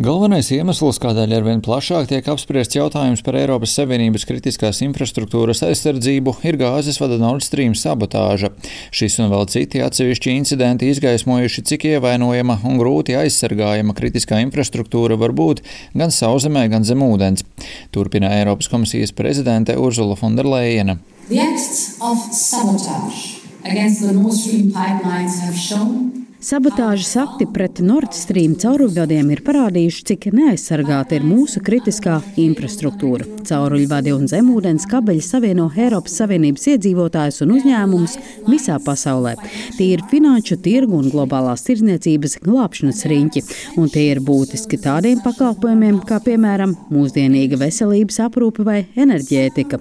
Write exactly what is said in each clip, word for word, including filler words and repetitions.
Galvenais iemesls, kādēļ arvien plašāk tiek apspriests jautājums par Eiropas Savienības kritiskās infrastruktūras aizsardzību, ir gāzes vada Nord Stream sabotāža. Šis un vēl citi atsevišķi incidenti izgaismojuši, cik ievainojama un grūti aizsargājama kritiskā infrastruktūra var būt gan sauszemē, gan zem ūdens. Turpina Eiropas komisijas prezidente Ursula von der Leyena. The acts of sabotage against the Nord Stream pipelines have shown Sabotāžas akti pret Nord Stream cauruļvadiem ir parādījuši, cik neaizsargāta ir mūsu kritiskā infrastruktūra. Cauruļvadi un zemūdens kabeļi savieno Eiropas Savienības iedzīvotājus un uzņēmumus visā pasaulē. Tie ir finanšu tirgu un globālās tirdzniecības glābšanas riņķi, un tie ir būtiski tādiem pakalpojumiem, kā piemēram mūsdienīga veselības aprūpe vai enerģētika.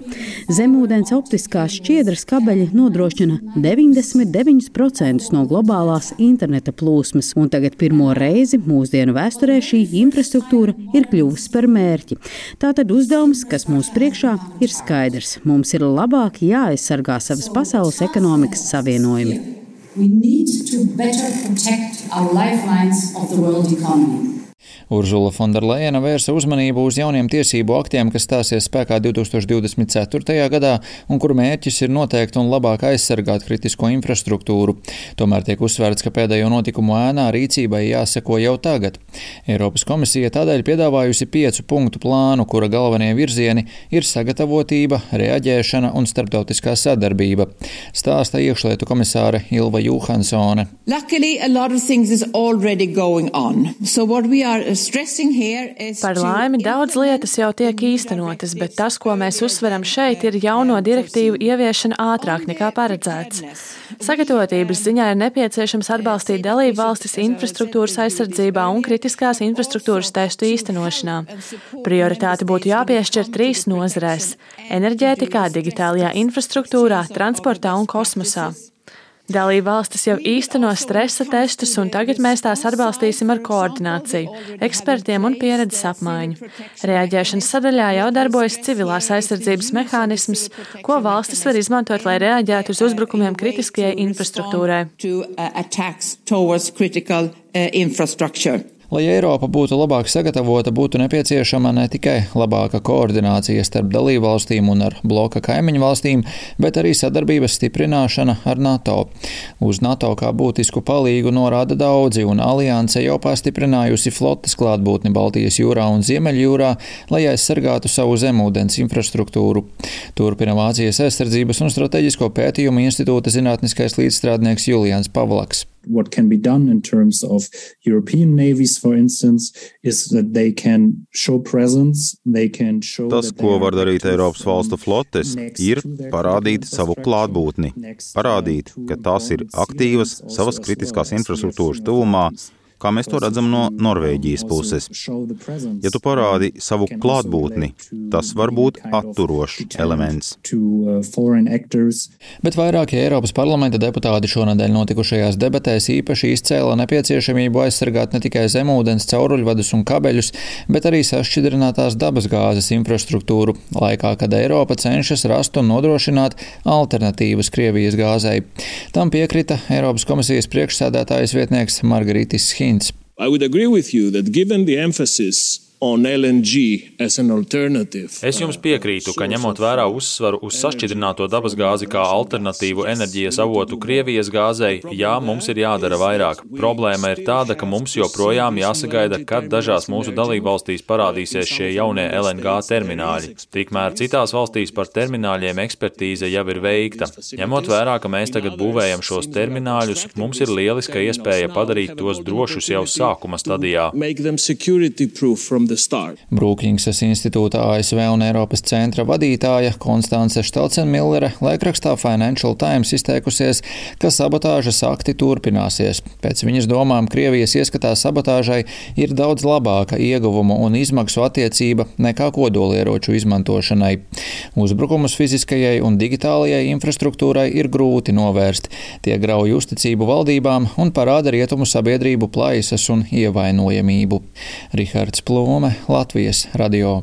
Zemūdens optiskās šķiedras kabeļi nodrošina deviņdesmit deviņus procentus no globālās interneta plūsmas, un tagad pirmo reizi mūsdienu vēsturē šī infrastruktūra ir kļuvusi par mērķi. Tātad uzdevums, kas mūsu priekšā, ir skaidrs. Mums ir labāk jāaizsargā savas pasaules ekonomikas savienojumi. We need to better protect our lifelines of the world economy. Ursula von der Leyena vērsa uzmanību uz jauniem tiesību aktiem, kas stāsies spēkā divtūkstoš divdesmit ceturtajā gadā un kuru mērķis ir noteikt un labāk aizsargāt kritisko infrastruktūru. Tomēr tiek uzsvērts, ka pēdējo notikumu ēnā rīcībai jāseko jau tagad. Eiropas komisija tādēļ piedāvājusi piecu punktu plānu, kura galvenie virzieni ir sagatavotība, reaģēšana un starptautiskā sadarbība. Stāsta iekšlietu komisāre Ilva Johansone. Luckily, a lot of things is already going on. So what we are Par laimi daudz lietas jau tiek īstenotas, bet tas, ko mēs uzsveram šeit, ir jauno direktīvu ieviešana ātrāk nekā paredzēts. Sagatavotības ziņā ir nepieciešams atbalstīt dalību valstis infrastruktūras aizsardzībā un kritiskās infrastruktūras testu īstenošanā. Prioritāte būtu jāpiešķir trīs nozarēs – enerģētikā, digitālajā infrastruktūrā, transportā un kosmosā. Dalība valstis jau īsteno stresa testus, un tagad mēs tās atbalstīsim ar koordināciju, ekspertiem un pieredzes apmaiņu. Reaģēšanas sadaļā jau darbojas civilās aizsardzības mehānisms, ko valstis var izmantot, lai reaģētu uz uzbrukumiem kritiskajai infrastruktūrai. Lai Eiropa būtu labāk sagatavota, būtu nepieciešama ne tikai labāka koordinācija starp dalībvalstīm un ar bloka kaimiņu valstīm, bet arī sadarbības stiprināšana ar NATO. Uz NATO kā būtisku palīgu norāda daudzi, un alianse jau pastiprinājusi flotes klātbūtni Baltijas jūrā un Ziemeļjūrā, lai aizsargātu savu zemūdens infrastruktūru. Turpina Vācijas aizsardzības un strateģisko pētījumu institūta zinātniskais līdzstrādnieks Julians Pavlaks. What can be done in terms of European navies, for instance, is that they can show presence, they can show Tas, ko var darīt Eiropas valstu flotes, ir parādīt savu klātbūtni, parādīt, ka tās ir aktīvas savas kritiskās infrastruktūras tuvumā, kā mēs to redzam no Norvēģijas puses. Ja tu parādi savu klātbūtni, tas var būt atturošs elements. Bet vairākie Eiropas parlamenta deputāti šonadēļ notikušajās debatēs īpaši izcēla nepieciešamību aizsargāt ne tikai zemūdens cauruļvadus un kabeļus, bet arī sašķidrinātās dabas gāzes infrastruktūru, laikā, kad Eiropa cenšas rast un nodrošināt alternatīvas Krievijas gāzei. Tam piekrita Eiropas komisijas priekšsēdētājas vietnieks Margaritis Schins. I would agree with you that given the emphasis on L N G as an alternative. Es jums piekrītu, ka ņemot vērā uzsvaru uz sašķidrināto dabasgāzi kā alternatīvu enerģijas avotu Krievijas gāzei, jā, mums ir jādara vairāk. Problēma ir tāda, ka mums joprojām jāsagaida, kad dažās mūsu dalībvalstīs parādīsies šie jaunie L N G termināļi. Tikmēr citās valstīs par termināļiem ekspertīze jau ir veikta. Ņemot vērā, ka mēs tagad būvējam šos termināļus, mums ir lieliska iespēja padarīt tos drošus jau sākuma stadijā. Brūkļingsas institūta A S V un Eiropas centra vadītāja Konstance Štelcenmillere laikrakstā Financial Times izteikusies, ka sabotāžas akti turpināsies. Pēc viņas domām Krievijas ieskatā sabotāžai ir daudz labāka ieguvumu un izmaksu attiecība nekā kodolieroču izmantošanai. Uzbrukumus fiziskajai un digitālajai infrastruktūrai ir grūti novērst. Tie grauj uzticību valdībām un parāda rietumu sabiedrību plaisas un ievainojamību. Rihards Plūme, Latvijas radio.